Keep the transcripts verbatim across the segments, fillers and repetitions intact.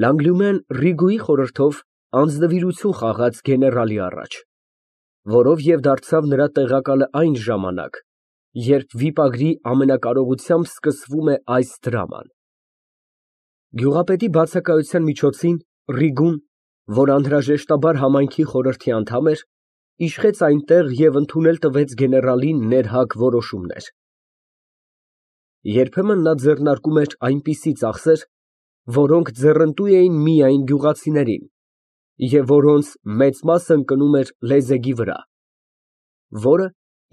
Լանգլյումեն Ռիգուի խորհրդով անձնվիրություն խաղաց գեներալի առաջ, որով և դարձավ նրա տեղակալը այն ժամանակ, երբ վիպագրի ամենակարողությամբ սկսվում է այս դրաման։ Գյուղապետի բացակայության միջոցին Ռիգուն, որ անհրաժեշտաբար համայնքի խորհրդի անդամ էր, իշխեց այնտեղ և ընդունել տվեց գեներալին ներհակ որոշումներ։ Երբեմն նա ձեռնարկում էր այնպիսի ծախսեր, որոնք ձեռնտու էին միայն գյուղացիներին և որոնց մեծ մասը ընկնում էր լեզեգի վրա, որը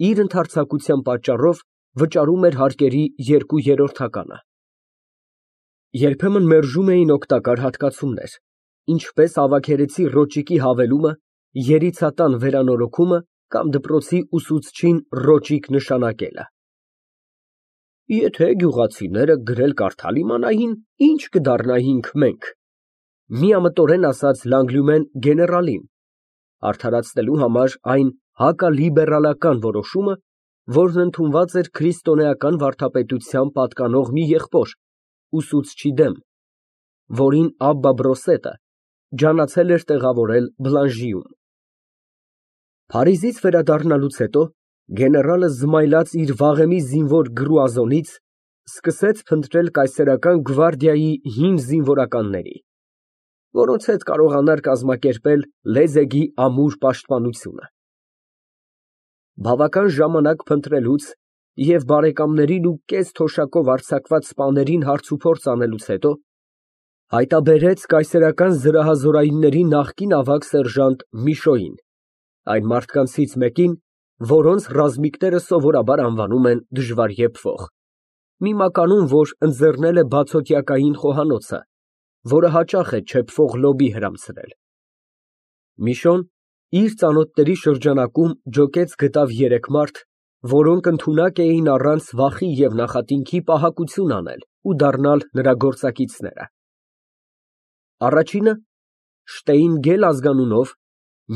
իր ընդարձակության պատճառով վճարում էր հարկերի երկու երրորդականը։ Երբեմն մերժում էին օգտակար հատկացումներ, ինչպես ավագերեցի ռոճիկի հավելումը, երիցատան վերանորոգումը կամ դպրոցի ուսուցչին ռոճիկ նշանակելը։ Եթե գյուղացիները գրել֊կարդալ իմանային, ի՞նչ կդառնայինք մենք, միամտորեն ասաց Լանգլյումեն գեներալին, արդարացնելու համար այն հակալիբերալական որոշումը, որն ընդունված էր քրիստոնեական վարդապետության պատկանող մի եղբոր, ուսուցչի դեմ, որին Աբբա Բրոսետը ջանացել էր տեղավորել Բլանժիում։ Փարիզից վերադառնալուց հետո գեներալը զմայլած իր վաղեմի զինվոր գրուազոնից սկսեց փնտրել կայսերական գվարդիայի հին զինվորականների, որոնց հետ կարողանար կազմակերպել լեզեգի ամուր պաշտպանությունը։ Բավական ժամանակ փնտրելուց և բարեկամներին ու կես թոշակով արձակված սպաներին հարցուփորձ անելուց հետո հայտնաբերեց կայսերական զրահազորայինների նախկին ավագ սերժանտ Միշոյին, այն մարդկանցից մեկին, որոնց ռազմիկները սովորաբար անվանում են դժվարեփվող, մի մականուն, որ ընձեռնել է բացօթյակային խոհանոցը, որը հաճախ է չեփվող լոբի հրամցրել։ Միշոն իր ծանոթների շրջանակում ջոկեց գտավ երեք մարդ, որոնք ընդունակ էին առանց վախի և նախատինքի պահակություն անել ու դառնալ նրա գործակիցները։ Առաջինը Շտեյնգել ազգանունով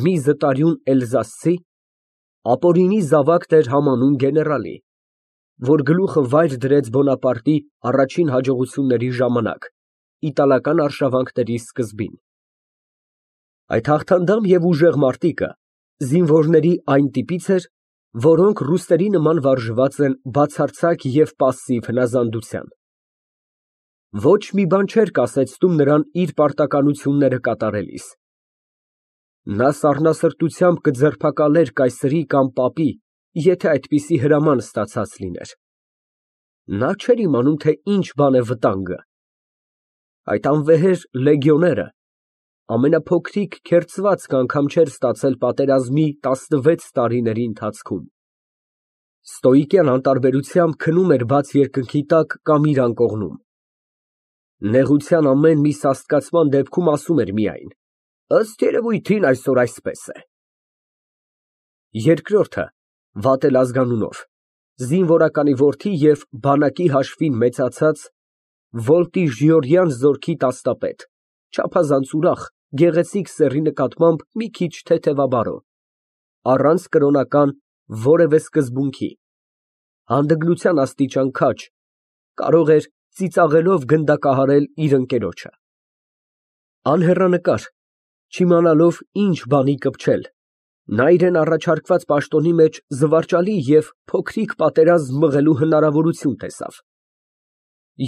մի զտարյուն էլզասցի, ապօրինի զավակն էր համանուն գեներալի, որ գլուխը վայր դրեց Բոնապարտի առաջին հաջողությունների ժամանակ, իտալական արշավանքների սկզբին։ Այդ հաղթանդամ և ուժեղ մարտիկը զինվորների այն տիպից էր, որոնք ռուսների նման վարժված են բացարձակ և պասսիվ հնազանդության։ Ոչ մի բան չէր կասեցնում նրան իր պարտականությունները կատարելիս։ Նա սառնասրտությամբ կձերբակալեր կայսրի կամ պապի, եթե այդպիսի հրաման ստացած լիներ։ Նա չէր իմանում, թե ինչ բան է վտանգը։ Այդ անվեհեր լեգիոները ամենափոքրիկ քերծվածք անգամ չէր ստացել պատերազմի տասնվեց տարիների ընթացքում։ Ստոիկյան անտարբերությամբ քնում էր բաց երկնքի տակ կամ իր անկողնում։ Նեղության ամեն մի սաստկացման դեպքում ասում էր միայն. «Ըստ երևույթին այսօր այսպես է»։ Երկրորդը Վատել ազգանունով, զինվորականի որդի և բանակի հաշվին մեծացած Վոլտիժիորյան զորքի տաստապետ, չափազանց ուրախ, գեղեցիկ սեռի նկատմամբ մի քիչ թեթևաբարո, առանց կրոնական որևէ սկզբունքի, հանդգնության աստիճան քաջ, կարող էր ծիծաղելով գնդակահարել իր ընկերոջը։ Անհեռանկար, չիմանալով ինչ բանի կպչել, նա իրան առաջարկված պաշտոնի մեջ զվարճալի և փոքրիկ պատերազմ մղելու հնարավորություն տեսավ։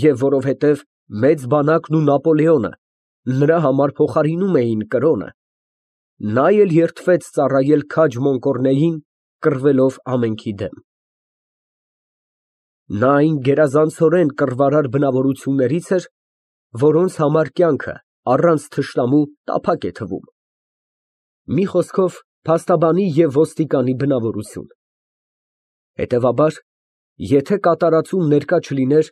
Եվ որովհետև մեծ բանակն ու Նապոլեոնը նրա համար փոխարինում էին կրոնը, նա էլ երդվեց ծառայել քաջ Մոնկորնեին, կռվելով ամենքի դեմ։ Նա այն գերազանցորեն կռվարար բնավորություններից էր, որոնց համար կյանքը առանց թշնամու տափակ է թվում։ Մի խոսքով, փաստաբանի և ոստիկանի բնավորություն։ Հետևաբար, եթե կատարածում ներկա չլիներ,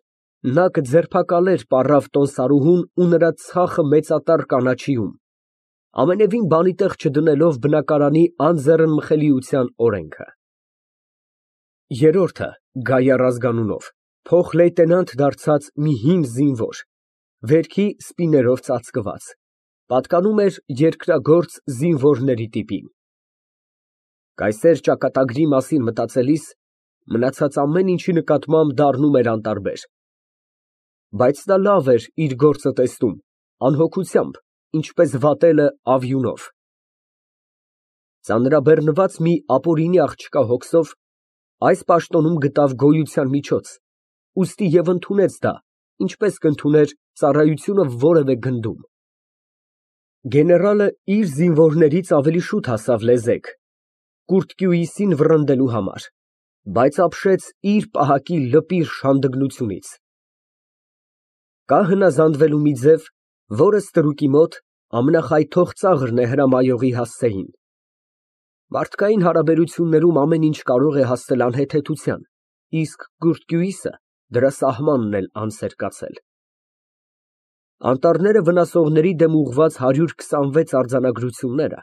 նա կձերբակալեր պառավ տոմսարուհուն ու նրա ցախը մեծատառ կանաչիում, ամենևին բանի տեղ չդնելով բնակարանի անձեռնմխելիության օրենքը։ Երրորդը Գայար ազգանունով, փոխլեյտենանտ դարձած մի հին զինվոր, վերքի սպիներով ծածկված, պատկանում էր երկրագործ զինվորների տիպին։ Կայսեր ճակատագրի մասին մտածելիս մնացած ամեն ինչի նկատմամբ դառնում էր անտարբեր։ Բայց նա լավ էր իր գործը տեսնում Անհոգությամբ, ինչպես վատելը ավյունով։ Ծանրաբեռնված մի ապօրինի աղջկա հոգսով այս պաշտոնում գտավ գոյության միջոց, ուստի և ընդունեց դա, ինչպես կընդուներ ծառայությունը որևէ գնդում։ Գեներալը իր զինվորներից ավելի շուտ հասավ լեզեկ, կուրծքյուիսին վռնդելու համար, բայց ապշեց իր պահակի լպիր շանդգնությունից։ Կա հնազանդվելու մի ձև, որը ստրուկի մոտ ամենախայթող ծաղրն է հրամայողի հասցեին։ Մարդկային հարաբերություններում ամեն ինչ կարող է հասնել անհեթեթության, իսկ կուրծքյուիսը դրա սահմանն էլ անց էր կացել։ Անտառները վնասողների դեմ ուղղված հարյուր քսանվեց արձանագրությունները,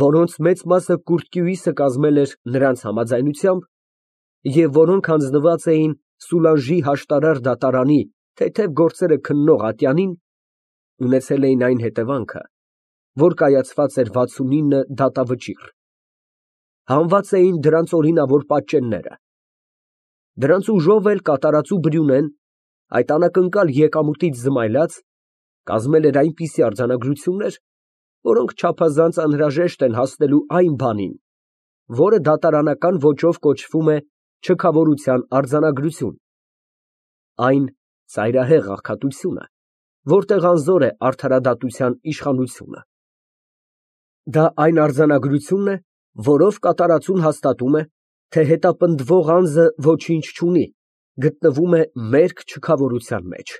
որոնց մեծ մասը կուրծքյուիսը կազմել էր նրանց համաձայնությամբ և որոնք հանձնված էին Սուլանժի հաշտարար դատարանի թեթև գործերը քննող ատյանին, ունեցել էին այն հետևանքը, որ կայացված էր վաթսունինը դատավճիռ։ Հանված էին դրանց օրինավոր պատճենները։ Դրանց ուժով էլ կատարածու Բրյունեն, այդ անակնկալ եկամուտից զմայլած, կազմել էր այնպիսի արձանագրություններ, որոնք չափազանց անհրաժեշտ են հասնելու այն բանին, որը դատարանական ոճով կոչվում է չքավորության արձանագրություն, այն ծայրահեղ աղքատությունը, որտեղ անզոր է արդարադատության իշխանությունը։ Դա այն արձանագրությունն է, որով կատարածուն հաստատում է, թե հետապնդվող անձը ոչինչ չունի, գտնվում է մերկ չքավորության մեջ։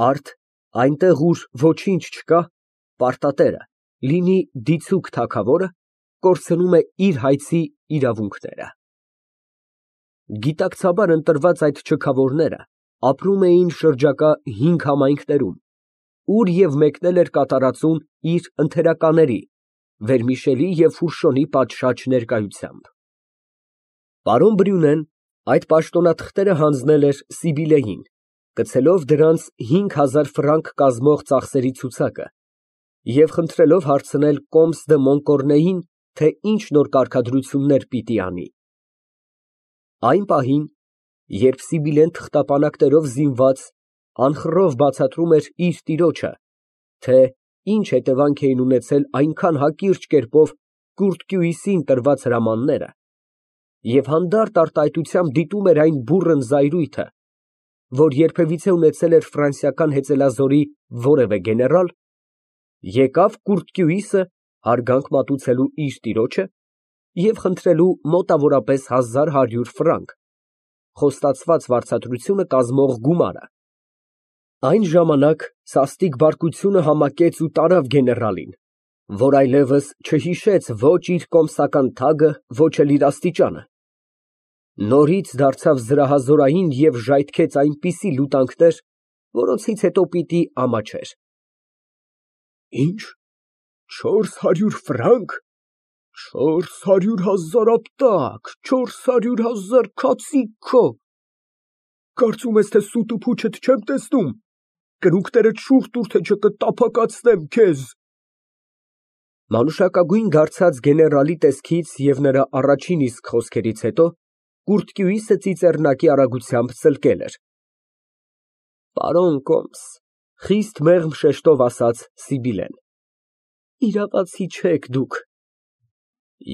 Արդ այնտեղ, ուր ոչինչ չկա, պարտատերը, լինի դիցուք թագավորը, կորցնում է իր հայցի իրավունքները։ Գիտակցաբար ընտրված այդ չքավորները ապրում էին շրջակա հինգ համայնքներում, ուր և մեկնել էր կատարածուն իր ընթերականների՝ Վերմիշելի և Ֆուրշոնի պատշաճ ներկայությամբ։ Պարոն Բրյունեն այդ պաշտոնաթղթերը հանձնել էր Սիբիլեին, գցելով դրանց հինգ հազար ֆրանկ կազմող ծախսերի ցուցակը և խնդրելով հարցնել կոմս դը Մոնկորնեին, թե ինչ նոր կարգադրություններ պիտի անի։ Այն պահին, երբ Սիբիլեն թղթապանակներով զինված անխռով բացատրում էր իր տիրոջը, թե ինչ հետևանք էին ունեցել այնքան հակիրճ կերպով կուրծքյուիսին տրված հրամանները, և հանդարտ արտահայտությամբ դիտում էր այն բուռն զայրույթը, որ երբևիցե ունեցել էր ֆրանսիական հեծելազորի որևէ գեներալ, եկավ կուրծքյուիսը հարգանք մատուցելու իր տիրոջը և խնդրելու մոտավորապես հազար հարյուր ֆրանկ, խոստացված վարձատրությունը կազմող գումարը։ Այն ժամանակ սաստիկ բարկությունը համակեց ու տարավ գեներալին, որ այլևս չհիշեց ոչ իր կոմսական թագը, ոչ էլ իր աստիճանը։ Նորից դարձավ զրահազորային և ժայթքեց այնպիսի լուտանքներ, որոնցից հետո պիտի ամաչեր։ Ի՞նչ, չորս հարյուր ֆրանկ, չորս հարյուր հազար ապտակ, չորս հարյուր հազար քացիկ քո, կարծում ես, թե սուտ ու փուչդ չեմ տեսնում, կրունկներդ շուռ տուր, թե չկտափակացնեմ քեզ։ Մանուշակագույն դարձած գեներալի տեսքից և նրա առաջին իսկ խոսքերից հետո կուրծքյուիսը ծիծեռնակի արագությամբ ծլկել էր։ Պարոն կոմս, խիստ մեղմ շեշտով ասաց Սիբիլեն, իրավացի չեք դուք։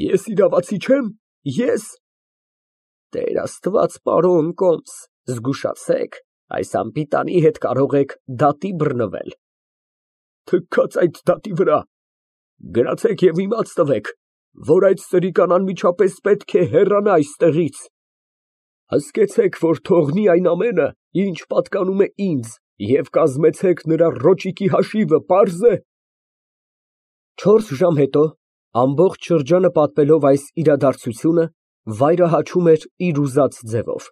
Ես իրավացի չեմ, ե՞ս։ Տեր Աստված, պարոն կոմս, զգուշացեք, այս անպիտանի հետ կարող եք դատի բռնվել։ Թքաց այդ դատի վրա, գրացեք և իմաց տվեք, որ այդ սրիկան անմիջապես պետք է հեռանա այստեղից։ Հսկեցեք, որ թողնի այն ամենը, ինչ պատկանում է ինձ, և կազմեցեք նրա ռոճիկի հաշիվը, պարզ է։ Չորս ժամ հետո, ամբողջ շրջանը պատմելով այս իրադարձությունը, վայրը հաչում էր իր ուզած ձևով։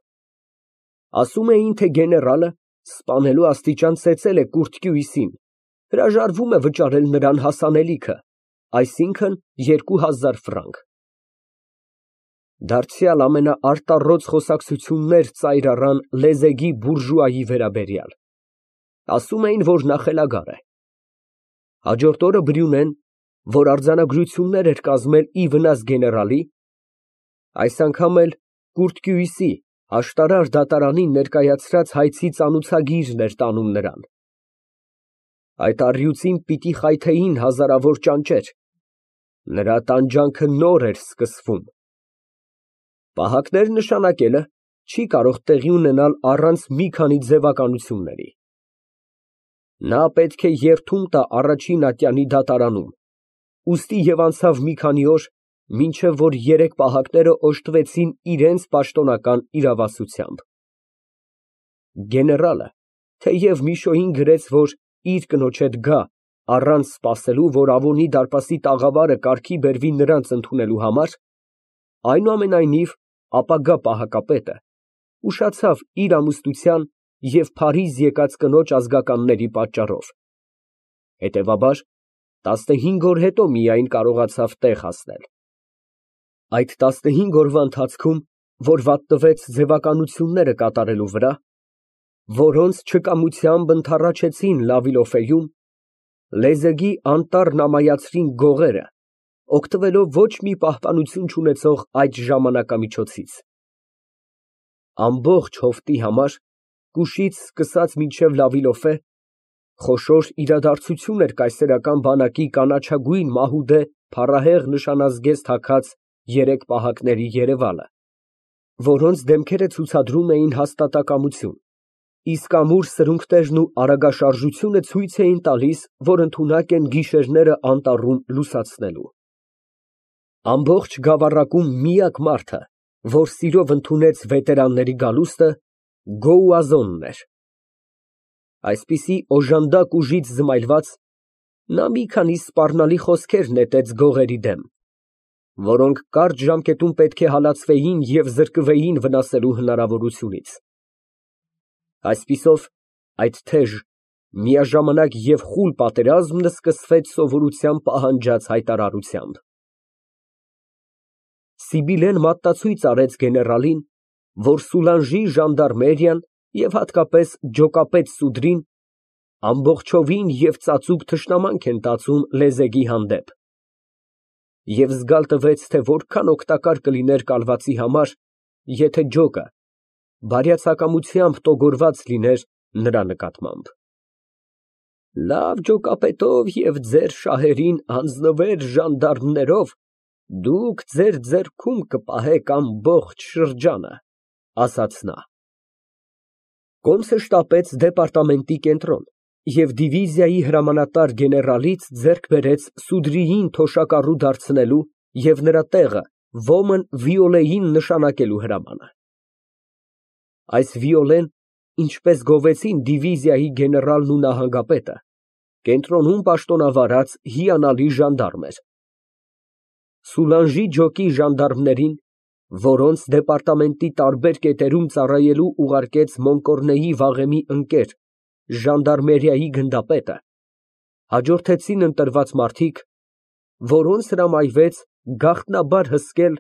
Ասում էին, թե գեներալը, սպանելու աստիճան ծեծել է կուրծքյուիսին, հրաժարվում է վճարել նրան հասանելիքը, այսինքն՝ երկու հազար ֆրանկ։ Դարձյալ ամենաարտառոց խոսակցություններ ծայր առան լեզեգի բուրժուայի վերաբերյալ։ Ասում էին, որ նա խելագար է։ Հաջորդ օրը Բրյունեն, որ արձանագրություններ էր կազմել ի վնաս գեներալի, այս անգամ էլ կուրծքյուիսի աշտարար դատարանին ներկայացրած հայցի ծանուցագիրն էր տանում նրան։ Այդ առյուծին պիտի խայթեին հազարավոր ճանճեր, նրա տանջանքը նոր էր սկսվում։ Պահակներ նշանակելը չի կարող տեղի ունենալ առանց մի քանի ձևականությունների։ Նա պետք է երդում տա առաջին ատյանի դատարանում, ուստի և անցավ մի քանի օր, մինչև որ երեք պահակները օժտվեցին իրանց պաշտոնական իրավասությամբ։ Գեներալը, թեև Միշոյին գրեց, որ իր կնոջ հետ գա, առանց սպասելու, որ Ավոնի դարպասի տաղավարը կարգի բերվի նրանց ընդունելու համար, այնուամենայնիվ ապագա պահակապետը ուշացավ իր ամուսնության և Փարիզ եկած կնոջ ազգականների պատճառով, հետևաբար, տասնհինգ օր հետո միայն կարողացավ տեղ հասնել։ Այդ տասնհինգ օրվա ընթացքում, որ վատնվեց ձևականությունները կատարելու վրա, որոնց չկամությամբ ընդառաջեցին Լավիլոֆեում, լեզեգի անտառն ամայացրին գողերը, օգտվելով ոչ մի պահպանություն չունեցող այդ ժամանակամիջոցից։ Ամբողջ հովտի համար, կուշից սկսած մինչև Լավիլոֆե, խոշոր իրադարձություն էր կայսերական բանակի կանաչագույն մահուդե փառահեղ նշանազգեստ հագած երեք պահակների երևալը, որոնց դեմքերը ցուցադրում էին հաստատակամություն, իսկ ամուր սրունքներն ու արագաշարժությունը ցույց էին տալիս, որ ընդունակ են գիշերները անտառում լուսացնելու։ Ամբողջ գավառակում միակ մարդը, որ սիրով ընդունեց վետերանների գալուստը, Գոուազոնն էր։ Այսպիսի օժանդակ ուժից զմայլված, նա մի քանի սպառնալի խոսքեր նետեց գողերի դեմ, որոնք կարճ ժամկետում պետք է հալածվեին և զրկվեին վնասելու հնարավորությունից։ Այսպիսով, այդ թեժ, միաժամանակ և խուլ պատերազմն սկսվեց սովորության պահանջած հայտարարությամբ։ Սիբիլեն մատնացույց արեց գեներալին, որ Սուլանժի ժանդարմերիան և հատկապես ջոկապետ Սուդրին ամբողջովին և ծածուկ թշնամանք են տածում լեզեգի հանդեպ, և զգալ տվեց, թե որքան օգտակար կլիներ կալվածի համար, եթե ջոկը բարյացակամությամբ տոգորված լիներ նրա նկատմամբ։ Լավ ջոկապետով և ձեր շահերին հանձնվեր ժանդարմներով դուք ձեր ձեռքում կպահեք ամբողջ շրջանը, ասաց նա։ Կոմսը շտապեց դեպարտամենտի կենտրոն և դիվիզիայի հրամանատար գեներալից ձեռք բերեց Սուդրիին թոշակառու դարձնելու և նրա տեղը ոմն Վիոլեին նշանակելու հրամանը։ Այս Վիոլեն, ինչպես գովեցին դիվիզիայի գեներալն ու նահանգապետը, կենտրոնում պաշտոնավարած հիանալի ժանդարմ էր։ Սուլանժի ջոկի ժանդարմներին, որոնց դեպարտամենտի տարբեր կետերում ծառայելու ուղարկեց Մոնկորնեի վաղեմի ընկեր ժանդարմերիայի գնդապետը, հաջորդեցին ընտրված մարդիկ, որոնց հրամայվեց գաղտնաբար հսկել,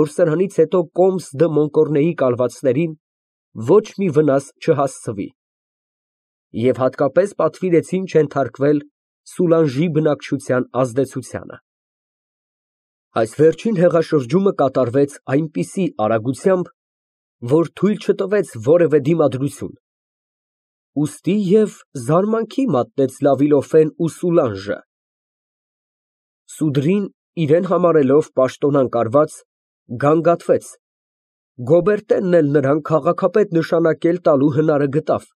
որ սրանից հետո Կոմս դը Մոնկորնեի կալվածներին ոչ մի վնաս չհասցվի, և հատկապես պատվիրեցին չենթարկվել Սուլանժի բնակչության ազդեցությանը։ Այս վերջին հեղաշրջումը կատարվեց այնպիսի արագությամբ, որ թույլ չտվեց որևէ դիմադրություն, ուստի և զարմանքի մատնեց Լավիլոֆեն ու Սուլանժը։ Սուդրին, իրան համարելով պաշտոնանկարված, գանգատվեց, Գոբերտենն էլ նրան քաղաքապետ նշանակել տալու հնարը գտավ,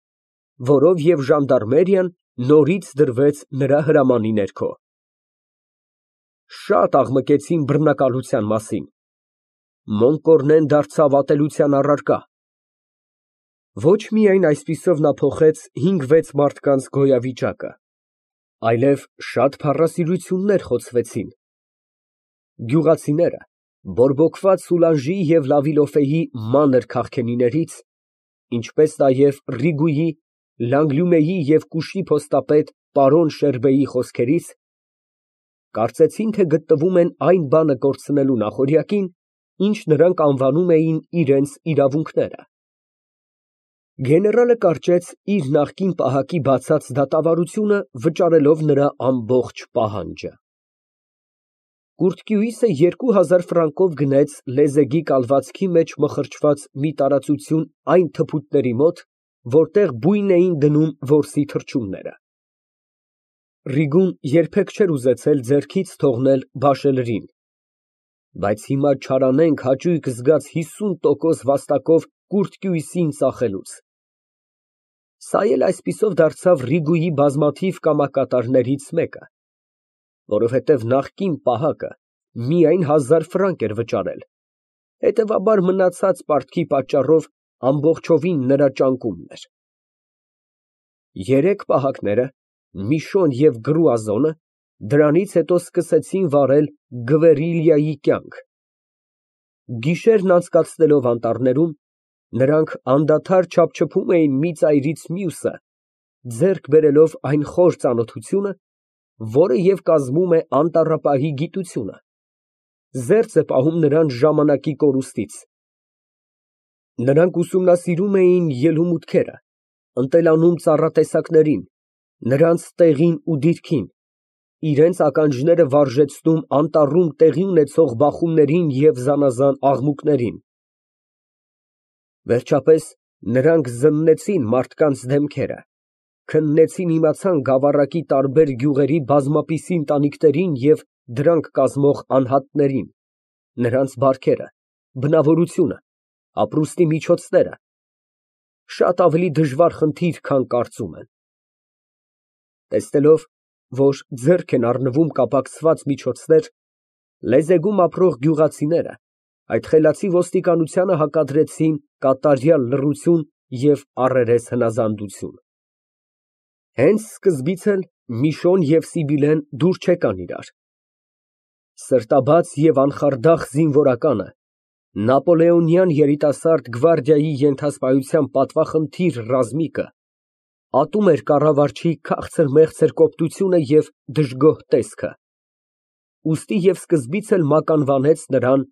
որով և ժանդարմերիան նորից դրվեց նրա հրամանի ներքո։ Շատ աղմկեցին բռնակալության մասին, Մոնկորնեն դարձավ ատելության առարկա։ Ոչ միայն այսպիսով նա փոխեց հինգ֊վեց մարդկանց գոյավիճակը, այլև շատ փառասիրություններ խոցվեցին։ Գյուղացիները, բորբոքված Սուլանժի և Լավիլոֆեի մանր քաղքենիներից, ինչպես նաև Ռիգուի, Լանգլյումեի և Կուշի փոստապետ պարոն Շերբեի խոսքերից, կարծեցին, թե գտնվում են այն բանը կորցնելու նախօրյակին, ինչ նրանք անվանում էին իրենց իրավունքները։ Գեներալը կարճեց իր նախկին պահակի բացած դատավարությունը, վճարելով նրա ամբողջ պահանջը։ Կուրթկյուիսը երկու հազար ֆրանկով գնեց լեզեգի կալվածքի մեջ մխրճված մի տարածություն այն թփուտների մոտ, որտեղ բույն էին դնում որսի թռչունները։ Ռիգուն երբեք չէր ուզեցել ձեռքից թողնել բաշելրին, բայց հիմա չարանենգ հաճույք զգաց հիսուն տոկոս վաստակով կուրծքույսին ծախելուց։ Սա էլ այսպիսով դարձավ Ռիգուի բազմաթիվ կամակատարներից մեկը, որովհետև նախկին պահակը միայն հազար ֆրանկ էր վճարել, հետևաբար մնացած պարտքի պատճառով ամբողջովին նրա ճանկումն էր։ Երեք պահակները, Միշոն և Գրուազոնը, դրանից հետո սկսեցին վարել Գվերիլիայի կյանք։ Գիշերն անցկացնելով անտառներում, նրանք անդադար չափչփում էին մի ծայրից մյուսը, ձեռք բերելով այն խոր ծանոթությունը, որը և կազմում է անտառապահի գիտությունը, զերծ է պահում նրան ժամանակի կորուստից։ Նրանք ուսումնասիրում էին ելումուտքերը, ընտելանում ծառատեսակներին, նրանց տեղին ու դիրքին, իրենց ականջները վարժեցնում անտառում տեղի ունեցող բախումներին և զանազան աղմուկներին։ Վերջապես նրանք զննեցին մարդկանց դեմքերը, քննեցին իմացան գավառակի տարբեր գյուղերի բազմապիսի ընտանիքներին և դրանք կազմող անհատներին, նրանց բարքերը, բնավորությունը, ապրուստի միջոցները, շատ ավելի դժվար խնդիր, քան կարծում են։ Տեսնելով, որ ձեռք են առնվում կապակցված միջոցներ, լեզեգում ապրող գյուղացիները այդ խելացի ոստիկանությանը հակադրեցին կատարյալ լռություն և առերես հնազանդություն։ Հենց սկզբից էլ Միշոն և Սիբիլեն դուր չեկան իրար։ Սրտաբաց և անխարդախ զինվորականը, նապոլեոնյան երիտասարդ գվարդիայի ենթասպայության պատվախնդիր ռազմիկը, ատում էր կառավարչի քաղցր֊մեղցր կոպտությունը և դժգոհ տեսքը, ուստի և սկզբից էլ մականվանեց նրան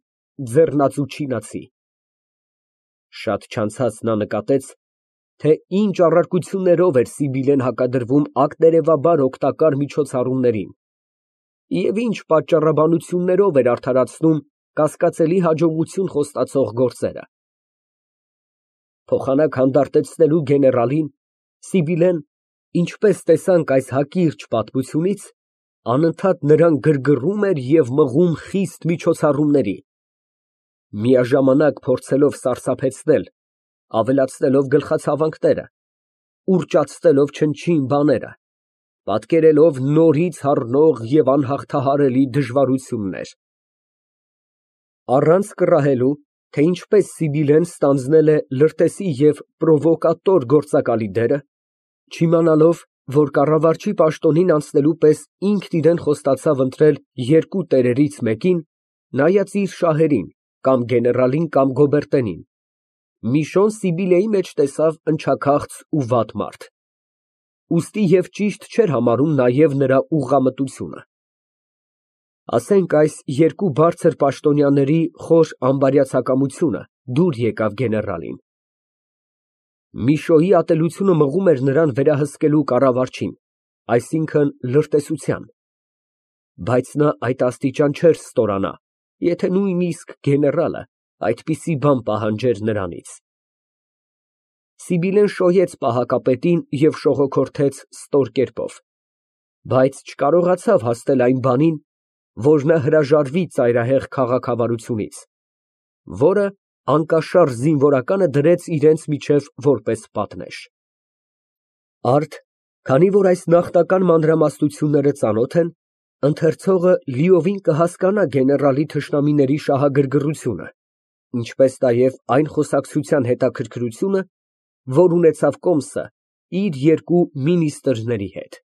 ձեռնածու չինացի։ Շատ չանցած նա նկատեց, թե ինչ առարկություններով էր Սիբիլեն հակադրվում ակտերևաբար օգտակար միջոցառումներին և ինչ պատճառաբանություններով էր արդարացնում կասկածելի հաջողություն խոստացող գործերը։ Փոխանակ հանդարտեցնելու գեներալին, Սիբիլեն, ինչպես տեսանք այս հակիրճ պատմությունից, անընդհատ նրան գրգռում էր և մղում խիստ միջոցառումների, միաժամանակ փորձելով սարսափեցնել, ավելացնելով գլխացավանքները, ուռճացնելով չնչին բաները, պատկերելով նորից հառնող և անհաղթահարելի դժվարություններ։ Առանց կռահելու, թե ինչպես Սիբիլեն ստանձնել է լրտեսի և պրովոկատոր գործակալի դերը, չիմանալով, որ կառավարչի պաշտոնին անցնելու պես ինքն իրան խոստացավ ընտրել երկու տերերից մեկին, նայած իր շահերին, կամ գեներալին, կամ գոբերտենին, Միշոն Սիբիլեի մեջ տեսավ ընչաքաղց ու վատ մարդ, ուստի և ճիշտ չէր համարում նաև նրա ուղղամտությունը։ Ասենք այս երկու բարձր պաշտոնյաների խոր ամբարյացակամությունը դուր եկավ գեներալին։ Միշոյի ատելությունը մղում էր նրան վերահսկելու կառավարչին, այսինքն՝ լրտեսության, բայց նա այդ աստիճան չէր ստորանա, եթե նույնիսկ գեներալը այդպիսի բան պահանջեր նրանից։ Սիբիլեն շոյեց պահակապետին և շողոքորթեց ստոր կերպով, բայց չկարողացավ հասնել այն բանին, որ նա հրաժարվի ծայրահեղ քաղաքավարությունից, որը անկաշառ զինվորականը դրեց իրենց միջև որպես պատնեշ։ Արդ, քանի որ այս նախնական մանրամասնությունները ծանոթ են, ընթերցողը լիովին կհասկանա գեներալի թշնամիների շահագրգռությունը, ինչպես նաև այն խոսակցության հետաքրքրությունը, որ ունեցավ կոմսը իր երկու մինիստրների հետ։